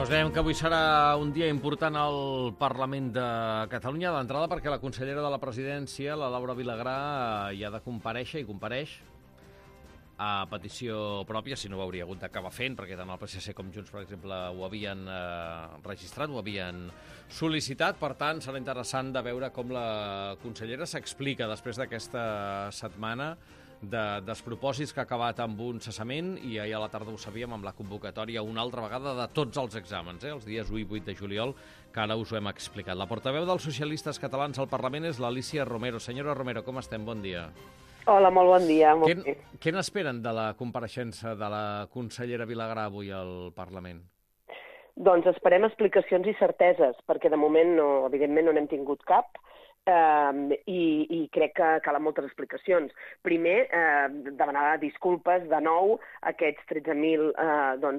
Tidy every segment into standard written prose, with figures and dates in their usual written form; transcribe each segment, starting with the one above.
Us dèiem que avui serà un dia important al Parlament de Catalunya, d'entrada perquè la consellera de la Presidència, la Laura Vilagrà, hi ha de comparèixer i compareix a petició pròpia, si no ho hauria hagut d'acabar fent, perquè tant el PSC com Junts, per exemple, ho havien registrat, ho havien sol·licitat. Per tant, serà interessant de veure com la consellera s'explica després d'aquesta setmana de despropòsits que ha acabat amb un cessament, i ahir a la tarda ho sabíem amb la convocatòria una altra vegada de tots els exàmens, els dies 1 i 8 de juliol, que ara us ho hem explicat. La portaveu dels socialistes catalans al Parlament és l'Alícia Romero. Senyora Romero, com estem? Bon dia. Hola, molt bon dia. Què n'esperen de la compareixença de la consellera Vilagrà avui al Parlament? Doncs esperem explicacions i certeses, perquè de moment, evidentment, no n'hem tingut cap. I crec que calen moltes explicacions. Primer, demanar disculpes de nou a aquests 13.000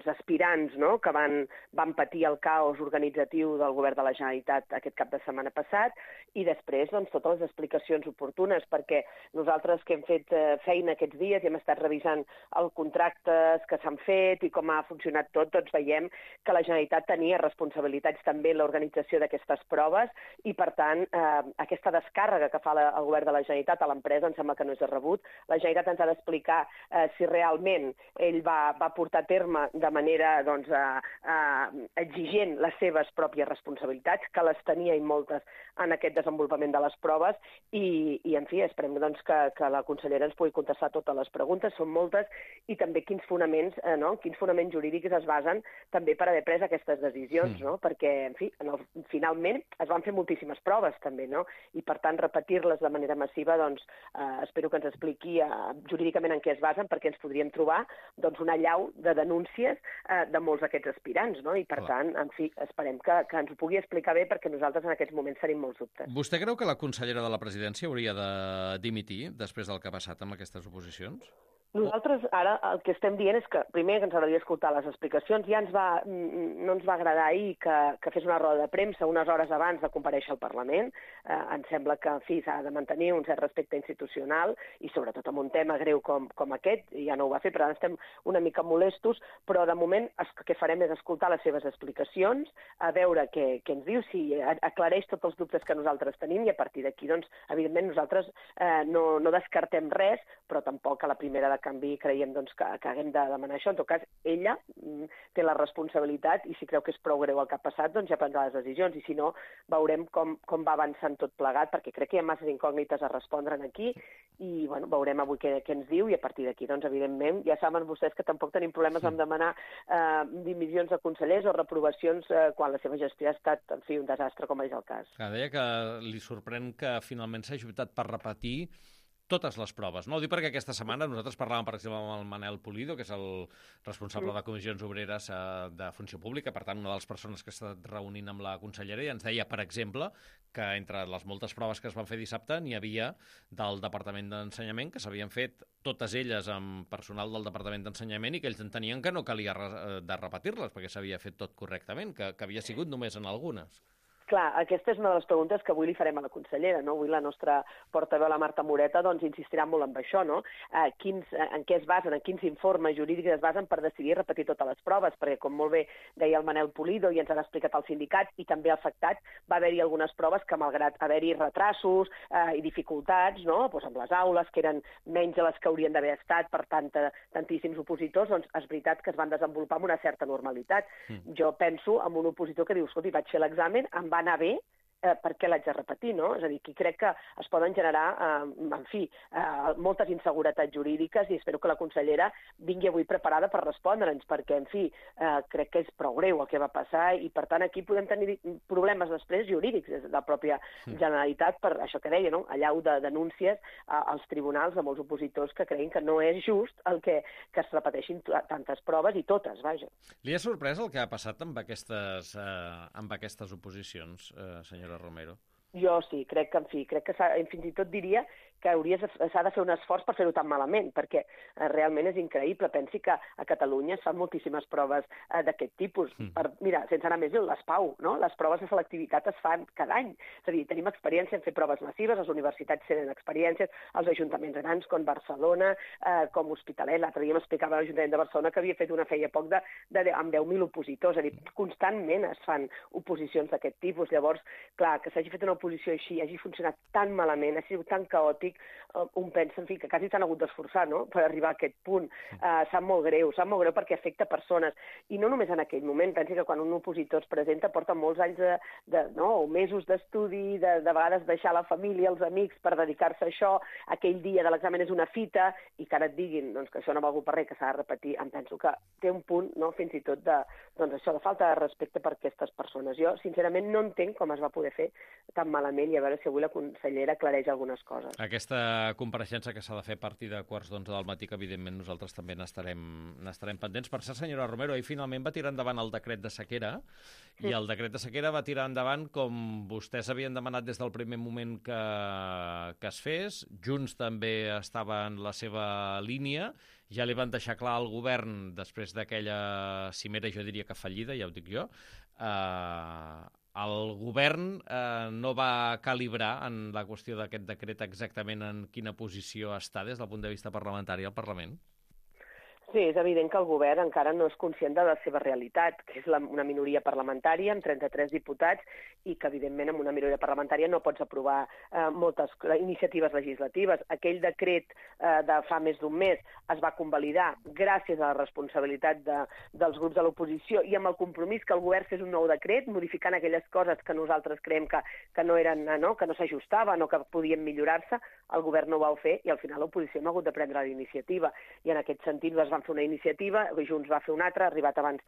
aspirants, no?, que van patir el caos organitzatiu del govern de la Generalitat aquest cap de setmana passat, i després totes les explicacions oportunes, perquè nosaltres que hem fet feina aquests dies i hem estat revisant els contractes que s'han fet i com ha funcionat tot, doncs veiem que la Generalitat tenia responsabilitats també en l'organització d'aquestes proves, i per tant aquesta descàrrega que fa el govern de la Generalitat a l'empresa em sembla que no és de rebut. La Generalitat ens ha d'explicar si realment ell va portar a terme de manera exigent les seves pròpies responsabilitats, que les tenia i moltes en aquest desenvolupament de les proves, i en fi, esperem que la consellera ens pugui contestar totes les preguntes, són moltes, i també quins fonaments jurídics es basen també per haver pres aquestes decisions, no? Perquè, en fi, finalment es van fer moltíssimes proves també, no? I per tant repetir-les de manera massiva, espero que ens expliqui jurídicament en què es basen, perquè ens podríem trobar una allau de denúncies de molts d'aquests aspirants, no? I per tant, en fi, esperem que ens ho pugui explicar bé, perquè nosaltres en aquests moments tenim molts dubtes. Vostè creu que la consellera de la Presidència hauria de dimitir després del que ha passat amb aquestes oposicions? Nosaltres ara el que estem dient és que, primer, que ens agradaria escoltar les explicacions. Ja no ens va agradar ahir que fes una roda de premsa unes hores abans de comparèixer al Parlament. Ens sembla que, en fi, s'ha de mantenir un cert respecte institucional, i sobretot amb un tema greu com aquest, ja no ho va fer, per tant estem una mica molestos, però de moment el que farem és escoltar les seves explicacions, a veure què ens diu, si aclareix tots els dubtes que nosaltres tenim, i a partir d'aquí, evidentment, nosaltres no descartem res, però tampoc a la primera de canvi creiem que haguem de demanar això. En tot cas, ella té la responsabilitat, i si creu que és prou greu el que ha passat, ja prendrà les decisions, i si no, veurem com va avançant tot plegat, perquè crec que hi ha masses incògnites a respondre aquí, i veurem avui què ens diu, i a partir d'aquí, evidentment, ja saben vostès que tampoc tenim problemes en demanar dimissions de consellers o reprovacions quan la seva gestió ha estat, en fi, un desastre, com és el cas. Deia que li sorprèn que finalment s'hagi optat per repetir totes les proves. No ho dic perquè aquesta setmana nosaltres parlàvem, per exemple, amb el Manel Pulido, que és el responsable de Comissions Obreres de Funció Pública, per tant, una de les persones que ha estat reunint amb la consellera, i ens deia, per exemple, que entre les moltes proves que es van fer dissabte n'hi havia del Departament d'Ensenyament, que s'havien fet totes elles amb personal del Departament d'Ensenyament, i que ells entenien que no calia de repetir-les, perquè s'havia fet tot correctament, que havia sigut només en algunes. Clar, aquesta és una de les preguntes que avui li farem a la consellera, no? Avui la nostra portaveu, la Marta Moreta, insistirà molt en això, no? En què es basen, en quins informes jurídics es basen per decidir repetir totes les proves, perquè, com molt bé deia el Manel Pulido, i ens han explicat els sindicats i també afectats, va haver-hi algunes proves que, malgrat haver-hi retrasos i dificultats, no?, amb les aules, que eren menys de les que haurien d'haver estat per tantíssims opositors, és veritat que es van desenvolupar amb una certa normalitat. Jo penso en un opositor que diu, escolti, vaig fer l'examen, em va anar bé, per què l'haig de repetir, no? És a dir, aquí crec que es poden generar, en fi, moltes inseguretats jurídiques, i espero que la consellera vingui avui preparada per respondre'ns, perquè, en fi, crec que és prou greu el que va passar, i per tant aquí podem tenir problemes després jurídics des de la pròpia Generalitat per això que deia, no? Allau de denúncies als tribunals de molts opositors que creien que no és just el que es repeteixin tantes proves, i totes, vaja. Li ha sorprès el que ha passat amb aquestes oposicions, senyora Romero? Jo sí, crec que fins i tot diria que s'ha de fer un esforç per fer-ho tan malament, perquè realment és increïble. Pensi que a Catalunya es fan moltíssimes proves d'aquest tipus. Mira, sense anar més lluny, les PAU, no? Les proves de selectivitat es fan cada any. És a dir, tenim experiència en fer proves massives, les universitats tenen experiències, els ajuntaments grans com Barcelona, com Hospitalet. L'altre dia m'explicava l'Ajuntament de Barcelona que havia fet una feia poc amb 10.000 opositors. És a dir, constantment es fan oposicions d'aquest tipus. Llavors, clar, que s'hagi fet una oposició així, hagi funcionat tan malament, ha sigut tan caòtic, un pensa, en fi, que quasi s'han hagut d'esforçar, no?, per arribar a aquest punt. Sap molt greu perquè afecta persones. I no només en aquell moment, pensi que quan un opositor es presenta porta molts anys o mesos d'estudi, de vegades deixar la família, els amics, per dedicar-se a això. Aquell dia de l'examen és una fita, i que ara et diguin que això no ha valgut per res, que s'ha de repetir, em penso que té un punt, no?, fins i tot de falta de respecte per aquestes persones. Jo, sincerament, no entenc com es va poder fer tan malament, i a veure si avui la consellera aclareix algunes coses. Aquesta compareixença que s'ha de fer a partir de 11:15 del matí, que evidentment nosaltres també n'estarem pendents. Per cert, senyora Romero, ahir finalment va tirar endavant el decret de sequera, i el decret de sequera va tirar endavant com vostès havien demanat des del primer moment que es fes. Junts també estava en la seva línia. Ja li van deixar clar al govern, després d'aquella cimera, jo diria que fallida, ja ho dic jo, el govern no va calibrar en la qüestió d'aquest decret exactament en quina posició està des del punt de vista parlamentari al Parlament. Sí, és evident que el govern encara no és conscient de la seva realitat, que és una minoria parlamentària amb 33 diputats, i que, evidentment, amb una minoria parlamentària no pots aprovar moltes iniciatives legislatives. Aquell decret de fa més d'un mes es va convalidar gràcies a la responsabilitat dels grups de l'oposició i amb el compromís que el govern fes un nou decret, modificant aquelles coses que nosaltres creiem que no s'ajustaven o que podien millorar-se. El govern no ho va fer i al final l'oposició no ha hagut de prendre la iniciativa. I en aquest sentit es van fer una iniciativa, Junts va fer una altra, ha arribat abans,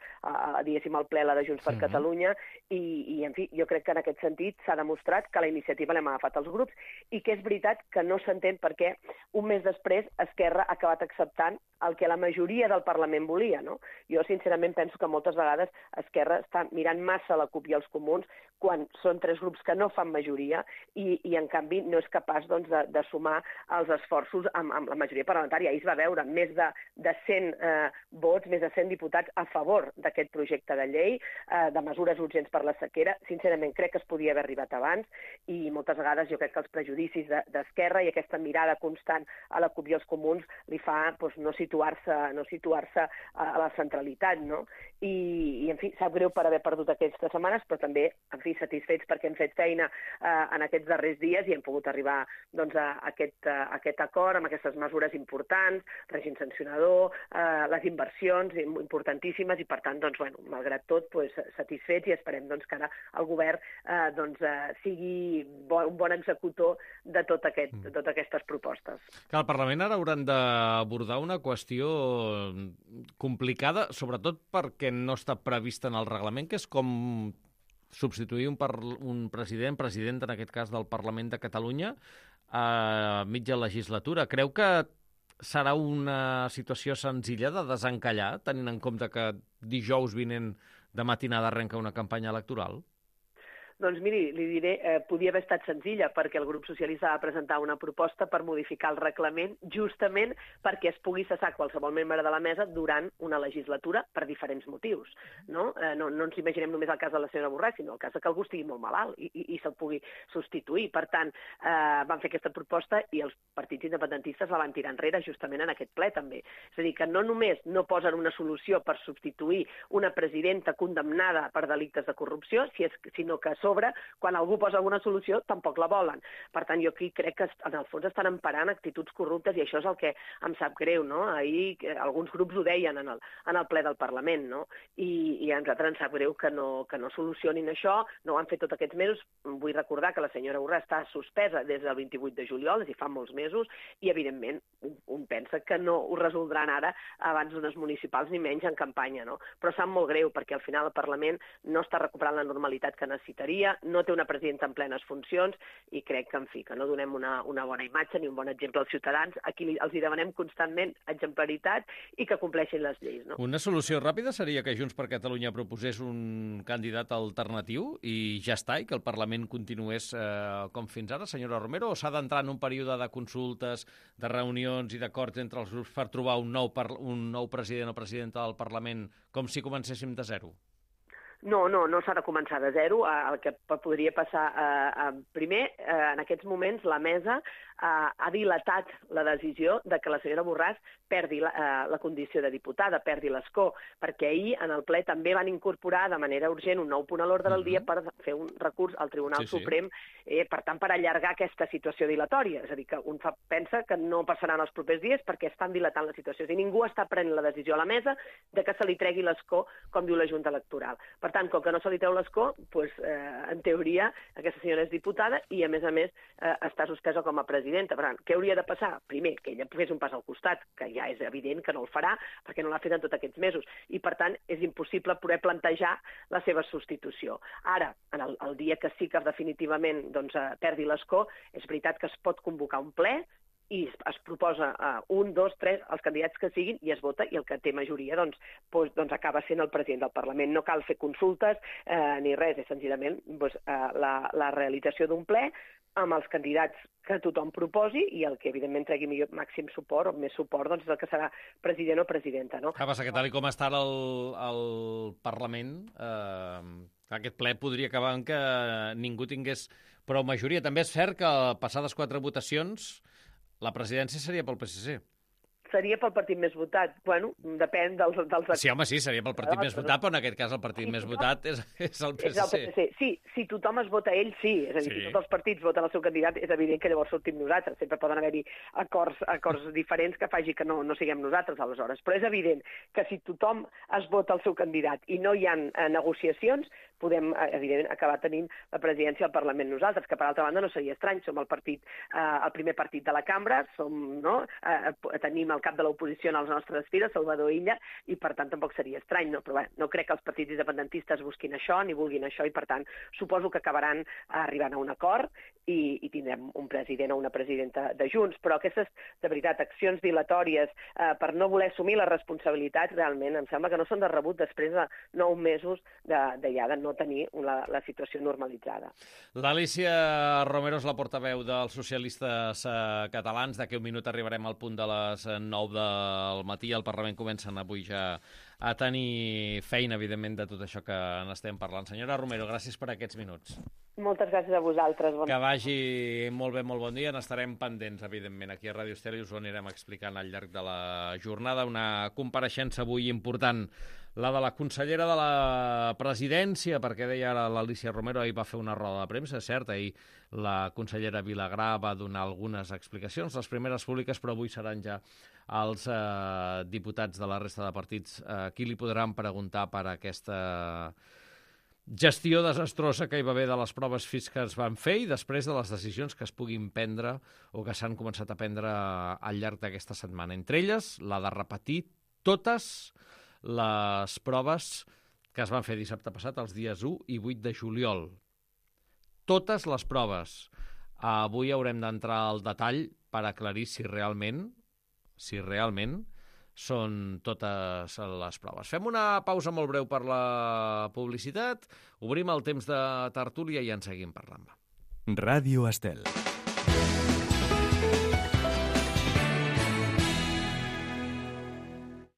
diguéssim, al ple la de Junts per Catalunya, i en fi, jo crec que en aquest sentit s'ha demostrat que la iniciativa l'hem agafat els grups i que és veritat que no s'entén per què un mes després Esquerra ha acabat acceptant el que la majoria del Parlament volia, no? Jo, sincerament, penso que moltes vegades Esquerra està mirant massa la CUP i els Comuns quan són tres grups que no fan majoria i en canvi, no és capaç de sumar els esforços amb la majoria parlamentària. Ahir es va veure més de 100 vots, més de 100 diputats a favor d'aquest projecte de llei, de mesures urgents per la sequera. Sincerament, crec que es podia haver arribat abans i moltes vegades jo crec que els prejudicis d'Esquerra i aquesta mirada constant a la CUP i els Comuns li fa no situar-se a la centralitat, no? I en fi, sap greu per haver perdut aquestes setmanes, però també, en fi, satisfets perquè hem fet feina en aquests darrers dies i hem pogut arribar a aquest acord amb aquestes mesures importants, règim sancionador, les inversions importantíssimes i, per tant, malgrat tot, satisfets i esperem que ara el govern sigui un bon executor de totes aquestes propostes. Que al Parlament ara hauran d'abordar una qüestió complicada, sobretot perquè no està prevista en el reglament, que és com substituir un president, en aquest cas del Parlament de Catalunya, a mitja legislatura. Creu que serà una situació senzilla de desencallar, tenint en compte que dijous vinent de matinada arrenca una campanya electoral? Doncs miri, li diré, podia haver estat senzilla perquè el grup socialista va presentar una proposta per modificar el reglament justament perquè es pugui cessar qualsevol membre de la mesa durant una legislatura per diferents motius. No ens imaginem només el cas de la senyora Borràs, sinó el cas que algú estigui molt malalt i se'l pugui substituir. Per tant, van fer aquesta proposta i els partits independentistes la van tirar enrere justament en aquest ple també. És a dir, que no només no posen una solució per substituir una presidenta condemnada per delictes de corrupció, sinó que quan algú posa alguna solució, tampoc la volen. Per tant, jo aquí crec que en el fons estan emparant actituds corruptes i això és el que em sap greu, no? Ahir alguns grups ho deien en el ple del Parlament, no? I a nosaltres ens sap greu que no solucionin això, no ho han fet tots aquests mesos. Vull recordar que la senyora Borràs està suspesa des del 28 de juliol, és a dir, fa molts mesos, i evidentment un pensa que no ho resoldran ara abans d'unes municipals ni menys en campanya, no? Però sap molt greu perquè al final el Parlament no està recuperant la normalitat que necessitaria. majoria, no té una presidenta en plenes funcions i crec que, en fi, que no donem una bona imatge ni un bon exemple als ciutadans. Aquí els hi demanem constantment exemplaritat i que compleixin les lleis. No? Una solució ràpida seria que Junts per Catalunya proposés un candidat alternatiu i ja està, i que el Parlament continués com fins ara, senyora Romero, o s'ha d'entrar en un període de consultes, de reunions i d'acords entre els grups per trobar un nou president o presidenta del Parlament com si comencéssim de zero? No s'ha de començar de zero. El que podria passar, primer, en aquests moments la mesa ha dilatat la decisió de que la senyora Borràs perdi la condició de diputada, perdi l'escó, perquè ahir en el ple també van incorporar de manera urgent un nou punt a l'ordre del dia per fer un recurs al Tribunal Suprem, per tant, per allargar aquesta situació dilatòria. És a dir, que un pensa que no passarà en els propers dies perquè estan dilatant la situació. I ningú està prenent la decisió a la mesa de que se li tregui l'escó, com diu la Junta Electoral. Per tant, com que no se li treu l'escó, en teoria aquesta senyora és diputada i, a més, està suspesa com a presidenta. Per tant, què hauria de passar? Primer, que ella fes un pas al costat, que ja és evident que no el farà, perquè no l'ha fet en tots aquests mesos, i per tant és impossible poder plantejar la seva substitució. Ara, el dia que sí que definitivament perdi l'escó, és veritat que es pot convocar un ple i es proposa 1, 2, 3, els candidats que siguin, i es vota, i el que té majoria acaba sent el president del Parlament. No cal fer consultes ni res, és senzillament la realització d'un ple amb els candidats que tothom proposi i el que, evidentment, tregui màxim suport o més suport, és el que serà president o presidenta. No? Passa que tal com està el Parlament, aquest ple podria acabar en que ningú tingués prou majoria. També és cert que passades 4 votacions la presidència seria pel PSC. Seria pel partit més votat. Bueno, depèn dels... Sí, home, sí, seria pel partit més votat, però en aquest cas el partit més votat és el PSC. Sí, si tothom es vota ell, sí. És a dir, si tots els partits voten el seu candidat, és evident que llavors sortim nosaltres. Sempre poden haver-hi acords diferents que faci que no siguem nosaltres, aleshores. Però és evident que si tothom es vota el seu candidat i no hi ha negociacions, podem, evidentment, acabar tenint la presidència del Parlament nosaltres, que per altra banda no seria estrany. Som el primer partit de la cambra, tenim el cap de l'oposició en les nostres files, Salvador Illa, i per tant tampoc seria estrany, no? Però no crec que els partits independentistes busquin això ni vulguin això, i per tant suposo que acabaran arribant a un acord i tindrem un president o una presidenta de Junts. Però aquestes, de veritat, accions dilatòries per no voler assumir les responsabilitats, realment em sembla que no són de rebut després de 9 mesos de no tenir la situació normalitzada. L'Alícia Romero és la portaveu dels socialistes catalans. D'aquí un minut arribarem al punt de les 9 del matí. El Parlament comencen avui ja a tenir feina, evidentment, de tot això que n'estem parlant. Senyora Romero, gràcies per aquests minuts. Moltes gràcies a vosaltres. Que vagi molt bé, molt bon dia. N'estarem pendents, evidentment. Aquí a Ràdio Estela i us ho anirem explicant al llarg de la jornada. Una compareixença avui important, la de la consellera de la Presidència, perquè deia ara l'Alícia Romero, ahir va fer una roda de premsa, és cert, ahir la consellera Vilagrà va donar algunes explicacions, les primeres públiques, però avui seran ja els diputats de la resta de partits qui li podran preguntar per aquesta gestió desastrosa que hi va haver de les proves físiques que es van fer i després de les decisions que es puguin prendre o que s'han començat a prendre al llarg d'aquesta setmana. Entre elles, la de repetir totes les proves que es van fer dissabte passat, els dies 1 i 8 de juliol. Totes les proves. Avui haurem d'entrar al detall per aclarir si realment són totes les proves. Fem una pausa molt breu per la publicitat, obrim el temps de tertúlia i en seguim parlant. Ràdio Estel.